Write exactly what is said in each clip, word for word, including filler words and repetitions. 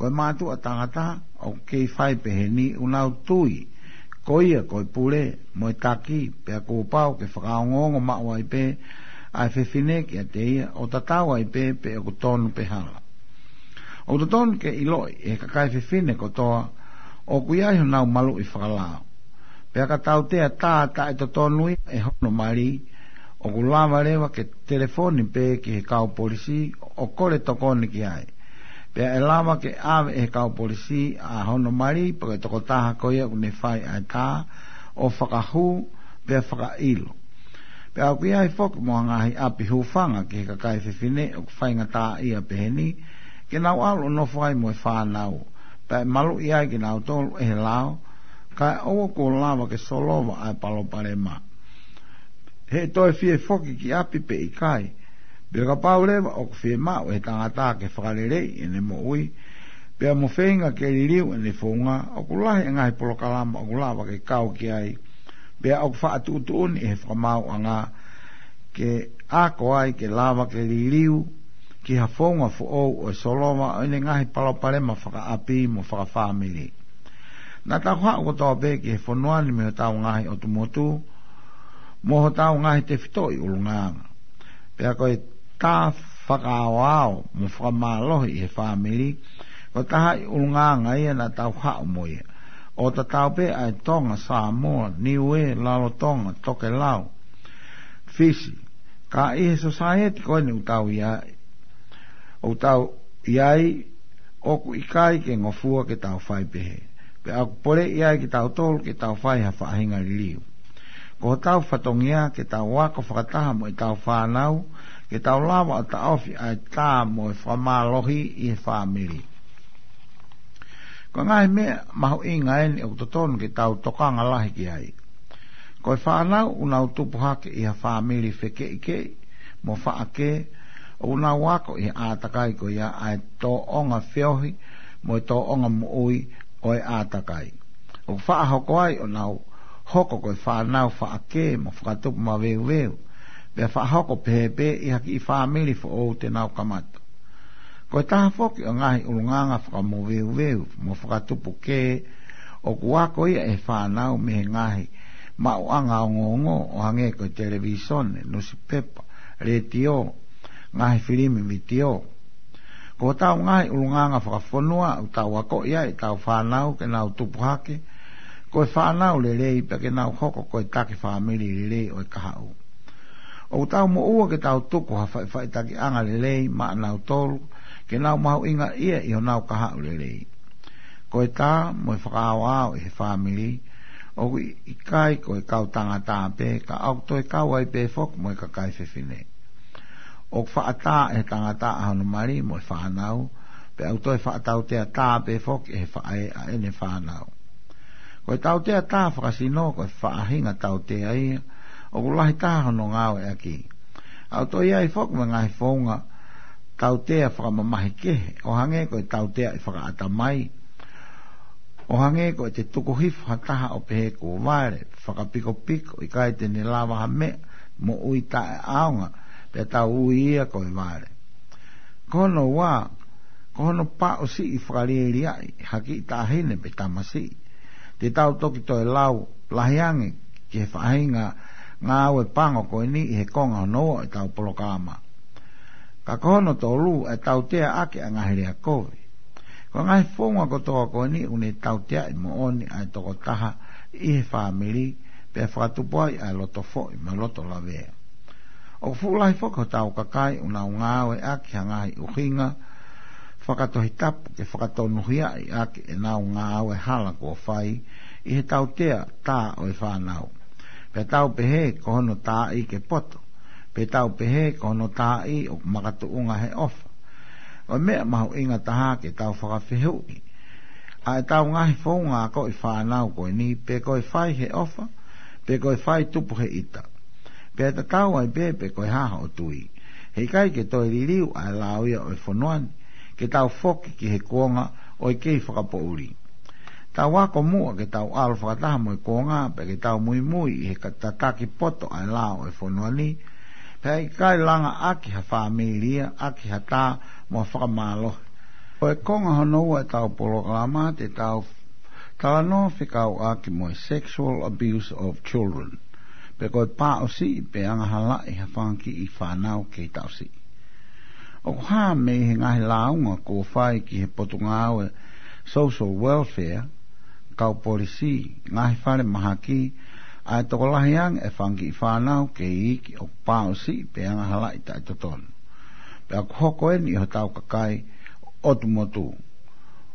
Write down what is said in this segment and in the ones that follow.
Ko e mātuʻa tangata ʻoku kei fai peheni ʻoku nau tui ko ia ko e pule mo e taki, pea kuo pau ke fakaongoongo maʻu ai pē ʻa e fefine kiate ia, ʻo tatau ai pē pe ʻoku tonu pe hala. ʻOku totonu ke ʻiloʻi ʻe he kakai fefine kotoa ʻoku ʻi ai honau maluʻi fakalao. Pea ka tautea tā taʻetotonu ia ʻe hono mali, ʻoku lava leva ke telefoni pē ki he kau polisi ʻo kole tokoni ki ai. Pea ʻe lava ke ʻave ʻe he kau polisi ʻa hono mali pe ko e tokotaha ko ia ʻoku ne fai ʻa e tā ʻo fakahū pea fakaʻilo. Pea ʻoku ʻi ai foki mo ha ngaahi ʻapi hūfanga ki he kakai fefine ʻoku faingataʻaʻia peheni ke nau ʻalu ʻo nofo ai mo e fānau, pea ʻe maluʻi ai kinautolu ʻe he lao, kae ʻoua kuo lava ke solova ʻa e palopalema. He ʻe toe fie foki ki ʻapi pe ʻikai, pea kapau leva ʻoku fiemaʻu ʻe he tangata ke fakaleleiʻi ʻene moʻui, pea mo feinga ke liliu ʻene founga, ʻoku lahi e ngaahi polokalama ʻoku lava ke kau ki ai, pea ʻoku faʻa tuʻutuʻuni ʻe he fakamaauʻanga ke ako ai ke lava ke liliu ki ha founga foʻou ʻo e solova ʻo ʻene ngaahi palopalema fakaʻapi mo fakafāmili. Naʻa tau haʻu kotoa pē ki he fonua ni mei hotau ngaahi ʻotu motu mo hotau ngaahi tefitoʻi ʻulungaanga. Pea ko e tā fakaaoao mo fakamālohi ʻi he fāmili, ko e taha ʻi ʻulungaanga ia naʻa tau haʻu mo ia. ʻO tatau pē ʻa e Tonga, Samoa, Niue, Lalotonga, Tokelau, Fisi. Ka ʻi he sōsaieti ko eni ʻoku tau ʻi ai, ʻoku tau ʻi ai, ʻoku ʻikai ke ngofua ke tau fai pehē. Pea ʻoku poleʻi ai kitautolu ke tau fai ha faʻahinga liliu. Ko hotau fatongia ke tau ako fakataha mo ʻetau fānau, ke tau lava ʻo taʻofi ʻa e tā mo e fakamālohi ʻi he fāmili. Ko e ngaahi meʻa mahuʻinga eni ʻoku totonu ke tau tokanga lahi ki ai. Ko e fānau ʻoku nau tupu hake ʻi ha fāmili fekeʻikeʻi mo faʻakē, ʻoku nau ako ʻi he ʻātakai ko ia ʻa e tōʻonga feohi mo e tōʻonga moʻui ʻo e ʻātakai. ʻOku faʻa hoko ai ʻo nau hoko ko e fānau faʻakē mo fakatupu maveuveu, pea faʻa hoko pehē pē ʻi ha kiʻi fāmili foʻou te nau kamata. Ko e taha foki ʻo e ngaahi ʻulungaanga fakamoveuveu mo fakatupu kē ʻoku ako ia ʻe he fānau mei he ngaahi maʻuʻanga ongoongo ʻo hangē ko e televīsone, nusipepa, letiō, ngaahi filimi vitiō. Ko hotau ngaahi ʻulungaanga fakafonua ʻoku tau akoʻi ai ʻetau fānau ke nau tupu hake ko e fānau lelei pea ke nau hoko ko e taki fāmili lelei ʻo e kahaʻu. ʻOku tau moʻua ke tau tuku ha faʻifaʻitakiʻanga lelei maʻanautolu ke nau mahuʻingaʻia ʻi honau kahaʻu lelei. Ko e tā mo e fakaaoao ʻi he fāmili ʻoku ʻikai ko e kau tangata pē, ka ʻoku toe kau ai pē foki mo e kakai fefine. ʻOku faʻa tā ʻe he tangata ʻa hono mali mo e fānau, pea ʻoku toe faʻa tautea tā pē foki ʻe he faʻē ʻa ʻene fānau. Ko e tautea tā fakasino ko e faʻahinga tautea ia ʻoku lahi taha hono ngāueʻaki. ʻOku toe ʻi ai foki mo e ngaahi founga tautea fakamamahi kehe, ʻo hangē ko e tautea ʻi fakaʻatamai, ʻo hangē ko ʻete tuku hifo ha taha ʻo pehē kuo vale, fakapikopiko, ʻikai te ne lava ha meʻa, moʻui taʻeʻaonga, pea tau ui ia ko e vale. Ko hono ua, ko hono paʻusiʻi fakalieliaʻi ha kiʻi taʻahine pe tamasiʻi. Te tau toki toe lau lahi ange ki he faʻahinga ngāue pango ko eni ʻi he konga hono ua ʻo ʻetau polokalama. Ka ko hono tolu, ʻe tautea ʻaki ʻa e ngaahi lea kovi. Ko e ngaahi founga kotoa ko eni ʻoku ne tauteaʻi moʻoni ʻa e tokotaha ʻi he fāmili, pea fakatupu ai ʻa e loto foʻi mo e loto lavea. ʻOku fuʻu lahi foki hotau kakai ʻoku nau ngāueʻaki ha ngaahi ʻuhinga fakatohitapu ke fakatonuhiaʻi ʻaki ʻenau ngāue hala kuo fai ʻi he tautea tā ʻo e fānau. Pea tau pehē ko hono taaʻi ke poto, pe tau pehē ko hono taaʻi ʻoku makatuʻunga he ʻofa. Ko e meʻa mahuʻinga taha ke tau fakafehuʻi ʻa ʻetau ngaahi founga akoʻi fānau ko eni, pe ko e fai he ʻofa, pe ko e fai tupu he ʻita. Pea tatau ai pē pe ko e hā hoʻo tui. He ʻikai ke toe liliu ʻa e lao ia ʻo e fonua ni ke tau foki ki he kuonga ʻo e kei fakapoʻuli. Tau ako muʻa ke tau ʻalu fakataha mo e kuonga, pea ke tau muimui ʻi he ka- tataki poto ʻa e lao ʻo e fonua ni, pea ʻikai langa ʻaki ha fāmili ia, ʻaki ha tā mo ha fakamālohi. Ko e konga hono ua ʻetau polokalama te tau talanoa fekauʻaki mo e sexual abuse of children, pe ko e pāʻusiʻi pe angahalaʻi ha fanga kiʻi fānau kei taʻu siʻi. ʻOku hā mei he ngaahi lāunga kuo fai ki he Potungāue Social Welfare, kau polisī, ngaahi fale mahaki, ʻa e tokolahi ange e fanga kiʻi fānau kei iiki ʻoku pāʻusiʻi pe angahalaʻi taʻetotonu. Pea ʻoku hoko eni ʻi hotau kakai ʻotu motu.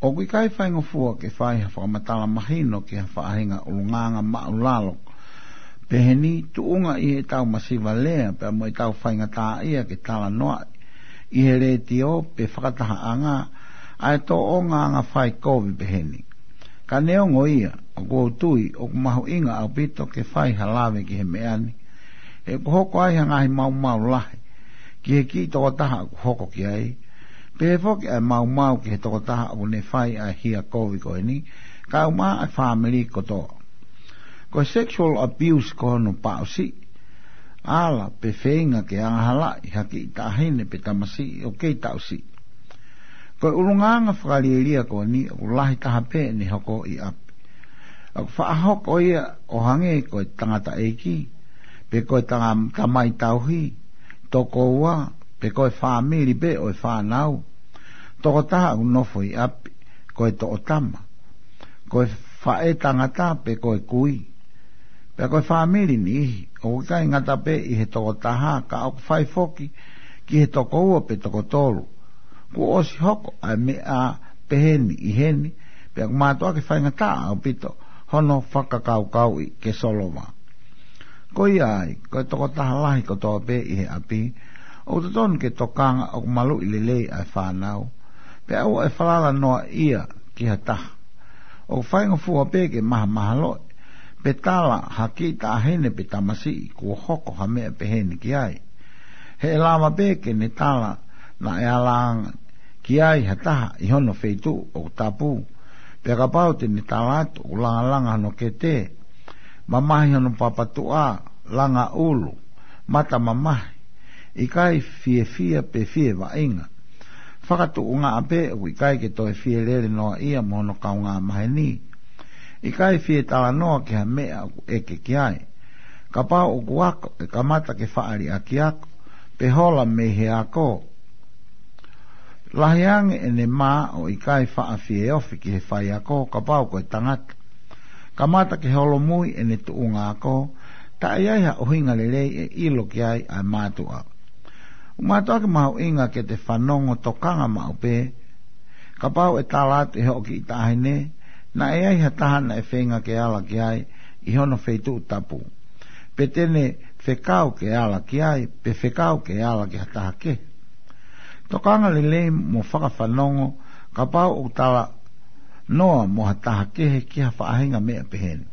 ʻOku ʻikai faingofua ke fai ha fakamatala mahino ki ha faʻahinga ʻulungaanga māʻulalo peheni, tuʻunga ʻi heʻetau masiva lea pea mo ʻetau faingataʻaʻia ke talanoaʻi ʻi he letiō pe fakatahaʻanga ʻa e tōʻonga anga fai kovi peheni. Ka neongo ia, ʻoku ou tui ʻoku mahuʻinga ʻaupito ke fai ha lave ki he meʻa ni, he ʻoku hoko ai ha ngaahi maumau lahi ki he kiʻi tokotaha ʻoku hoko ki ai, pehē foki ʻa e maumau ki he tokotaha ʻoku ne fai ʻa e hia kovi ko eni, kae ʻumaʻā ʻa e fāmili kotoa. Ko e sexual abuse ko hono pāʻusiʻi, ala pe feinga ke angahalaʻi ha kiʻi taʻahine pe tamasiʻi ʻoku kei taʻu siʻi. Ko e ʻulungaanga fakalielia ko eni ʻoku lahi taha pē ʻene hoko ʻi ʻapi. ʻOku faʻa hoko ia ʻo hangē ko e tangataʻeiki, pe ko e tanga-, tamai tauhi, tokoua, pe ko e fāmili pē ʻo e fānau. Tokotaha ʻoku nofo ʻi ʻapi, ko e toʻotama, ko e faʻē tangata pe ko e kui. Pea ko e fāmili niʻihi, ʻoku ʻikai ngata pē ʻi he tokotaha, ka ʻoku fai foki ki he tokoua pe tokotolu. Kuo ʻosi hoko ʻa e meʻa peheni ʻi heni, pea ʻoku mātuʻaki faingataʻa ʻaupito hono fakakaukauʻi ke solova. Ko ia ai, ko e tokotaha lahi kotoa pē ʻi he ʻapi, ʻoku totonu ke tokanga ʻoku maluʻi lelei ʻa e fānau, pea ʻoua ʻe falala noa ia ki ha taha. ʻOku faingofua pē ke mahamahaloʻi pe tala ha kiʻi taʻahine pe tamasiʻi kuo hoko ha meʻa peheni ki ai. He ʻe lava pē ke ne tala naʻe ala ange ki ai ha taha ʻi hono feituʻu ʻoku tapu, pea kapau te ne tala atu ʻoku langalanga hono kete, mamahi hono papatuʻa, langa ʻulu, mata mamahi, ʻikai fiefia pe fie vaʻinga. Fakatuʻungaʻa pē ʻoku ʻikai ke toe fie lele noa ia mo hono kaungā maheni. ʻIkai fie talanoa ki ha meʻa ʻoku ʻeke ki ai. Kapau ʻoku ako, ʻe kamata ke faʻa liʻaki ako, pe hola mei he ako. Lahi ange ʻene mā ʻo ʻikai faʻa fie ofi ki he faiako kapau ko e tangata. Kamata ke holomui ʻene tuʻunga ako, taʻe ʻi ai ha ʻuhinga lelei ʻe ʻilo ki ai ʻa e mātuʻa. ʻOku mātuʻaki mahuʻinga ke te fanongo tokanga maʻu pē. Kapau ʻe tala atu ʻe hoʻo kiʻi taʻahine, naʻe ʻi ai ha taha naʻe feinga ke ala ki ai ʻi hono feituʻu tapu, pe te ne fekau ke ala ki ai, pe fekau ke ala ki ha taha kehe. Tokanga lelei mo fakafanongo kapau ʻoku talanoa mo ha taha kehe ki ha faʻahinga meʻa peheni.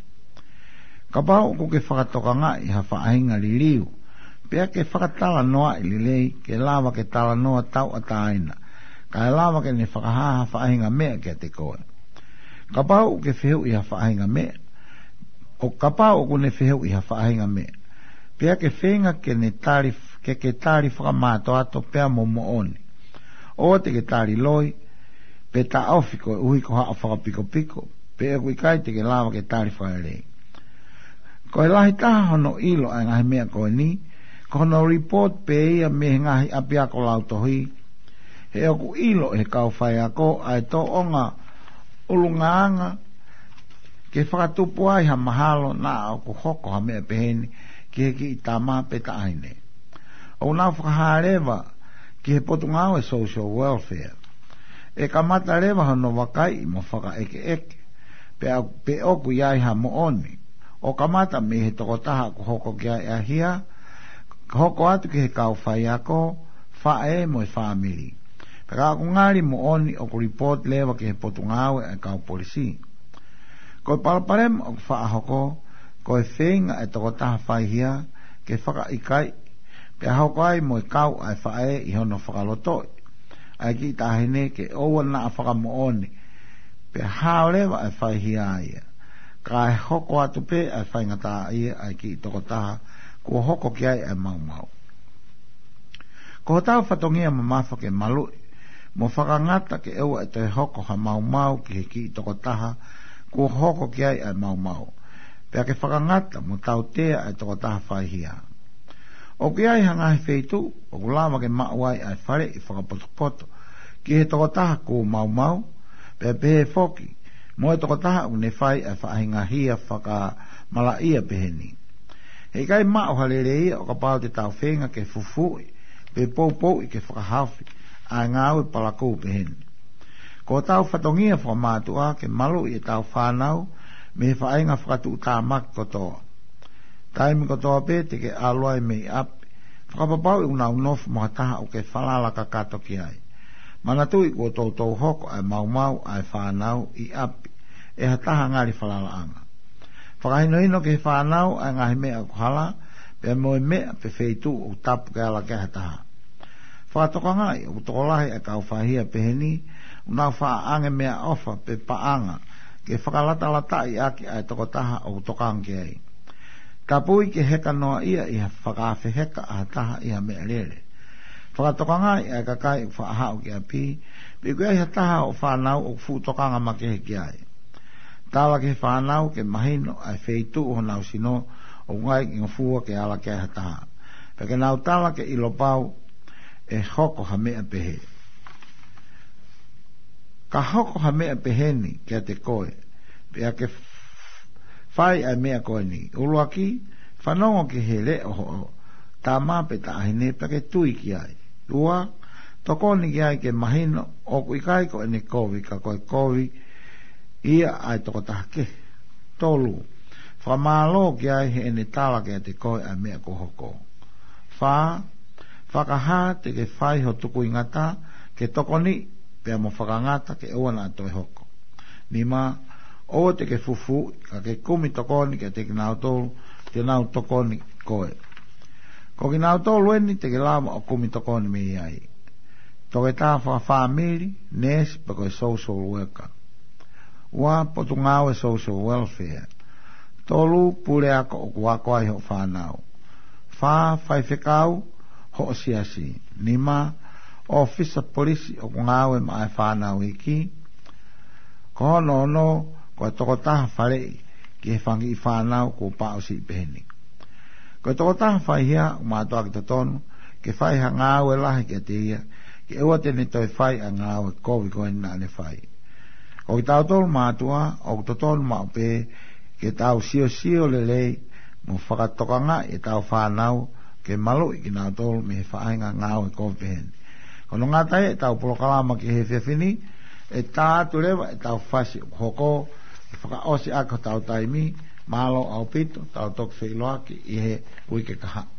Kapau ʻoku ke fakatokangaʻi ha faʻahinga liliu, pea ke fakatalanoaʻi lelei ke lava ke talanoa tauʻatāina, kae lava ke ne fakahā ha faʻahinga meʻa kiate koe. Kapau ʻoku ke fehuʻi ha faʻahinga meʻa, ʻo kapau ʻoku ne fehuʻi ha faʻahinga meʻa, pea ke feinga ke ne tali, ke ke tali fakamātoato pea mo moʻoni. ʻOua te ke tali loi, pe taʻofi koeʻuhi ko haʻo fakapikopiko, pe ʻoku ʻikai te ke lava ke tali fakalelei. Ko e lahi taha hono ʻilo ʻa e ngaahi meʻa ko eni, ko hono report pē ia mei he ngaahi ʻapiako lautohi, he ʻoku ʻilo ʻe he kau faiako ʻa e tōʻonga ʻulungaanga ke fakatupu ai ha mahalo naʻa ʻoku hoko ha meʻa peheni ki he kiʻi tama pe taʻahine. ʻOku nau fakahā leva ki he Potungāue Social Welfare. ʻE kamata leva hono vakaiʻi mo fakaʻekeʻeke, pe ʻoku, pe ʻoku ʻi ai ha moʻoni. ʻO kamata mei he tokotaha ʻoku hoko ki ai ʻa e hia, hoko atu ki he kau faiako, faʻē mo e fāmili. Pea ka ʻoku ngali moʻoni ʻoku report leva ki he Potungāue ʻa e kau polisī. Ko e palopalema ʻoku faʻa hoko, ko e feinga ʻa e tokotaha faihia ke fakaʻikaiʻi, pea hoko ai mo e kau ʻa e faʻē ʻi hono fakalotoʻi ʻa e kiʻi taʻahine ke ʻoua naʻa fakamoʻoni, pea hao leva ʻa e faihia ia, kae hoko atu pē ʻa e faingataʻaʻia ʻa e kiʻi tokotaha kuo hoko ki ai ʻa e maumau. Ko hotau fatongia mamafa ke maluʻi mo fakangata ke ʻoua ʻe toe hoko ha maumau ki he kiʻi tokotaha kuo hoko ki ai ʻa e maumau, pea ke fakangata mo tautea ʻa e tokotaha faihia. ʻOku ʻi ai ha ngaahi feituʻu ʻoku lava ke maʻu ai ʻa e faleʻi fakapotopoto ki he tokotaha kuo maumau, pea pehē foki mo e tokotaha ʻoku ne fai ʻa e faʻahinga hia fakamalaʻia peheni. He ʻikai maʻu ha lelei ia ʻo kapau te tau feinga ke fufuuʻi pe poupouʻi ke fakahaofi ʻa e ngāue palakū peheni. Ko hotau fatongia fakamātuʻa ke maluʻi ʻetau fānau mei he faʻahinga fakatuʻutāmaki kotoa. Taimi kotoa pē te ke ʻalu ai mei ʻapi, fakapapauʻi ʻoku nau nofo mo ha taha ʻoku ke falala kakato ki ai. Manatuʻi kuo toutou hoko ʻa e maumau ʻa e fānau ʻi ʻapi ʻe ha taha ngali falalaʻanga. Fakahinohino ki he fānau ʻa e ngaahi meʻa ʻoku hala, pea mo e meʻa pe feituʻu ʻoku tapu ke ala ki ai ha taha. Fakatokangaʻi ʻoku tokolahi ʻa e kau faihia peheni ʻoku nau faʻa ʻange meʻaʻofa pe paʻanga ke fakalatalataʻi ʻaki ʻa e tokotaha ʻoku tokanga ki ai. Tapui ke heka noaʻia ʻi ha fakaafeheka ʻa ha taha ʻi ha meʻalele. Fakatokangaʻi ʻa e kakai ʻoku faʻa haʻu ki ʻapi pe ʻoku ʻi ai ha taha ʻo e fānau ʻoku fuʻu tokanga makehe ki ai. Tala ki he fānau ke mahino ʻa e feituʻu honau sino ʻoku ngaahi ngofua ke ala ki ai ha taha, pea ke nau tala ke ʻilo pau ʻe hoko ha meʻa pehē. Ka hoko ha meʻa peheni kiate koe, pea ke f-, fai ʻa e meʻa ko eni. ʻUluaki, fanongo ki he leʻo hoʻo tama pe taʻahine pea ke tui ki ai. Ua, tokoni ki ai ke mahino ʻoku ʻikai ko ʻene kovi ka ko e kovi ia ʻa e tokotaha kehe. Tolu, fakamālō ki ai heʻene tala kiate koe ʻa e meʻa kuo hoko. Fā, fakahā te ke fai ho tukuingata ke tokoni pea mo fakangata ke ʻoua naʻa toe hoko. Nima, ʻoua te ke fufuuʻi ka ke kumi tokoni kiate kinautolu te nau tokoni koe. Ko kinautolu eni te ke lava ʻo kumi tokoni mei ai: toketā fakafāmili, neesi pe ko e social worker. Ua, potungāue social welfare. Tolu, puleako ʻoku ako ai hoʻo fānau. Fā, faifekau hoʻo siasi. Nima, ʻōfisa polisi ʻoku ngāue maʻa e fānau iiki. Ko hono ono, ko e tokotaha faleʻi ki he fanga kiʻi fānau kuo paʻusiʻi peheni. Ko e tokotaha faihia ʻoku mātuʻaki totonu ke fai ha ngāue lahi kiate ia, ke ʻoua te ne toe fai ʻa e ngāue kovi ko eni naʻa ne fai. Ko kitautolu mātuʻa ʻoku totonu maʻu pē ke tau siosio lelei mo fakatokangaʻi ʻetau fānau ke maluʻi kinautolu mei he faʻahinga ngāue kovi peheni. Ko hono ngata ʻetau polokalama ki he efiafi ni, ʻe tā atu leva ʻetau fasi ʻoku hoko, ʻe fakaʻosi ʻaki hotau taimi. Mālō ʻaupito, tau toki feʻiloaki ʻi he uike kahaʻu.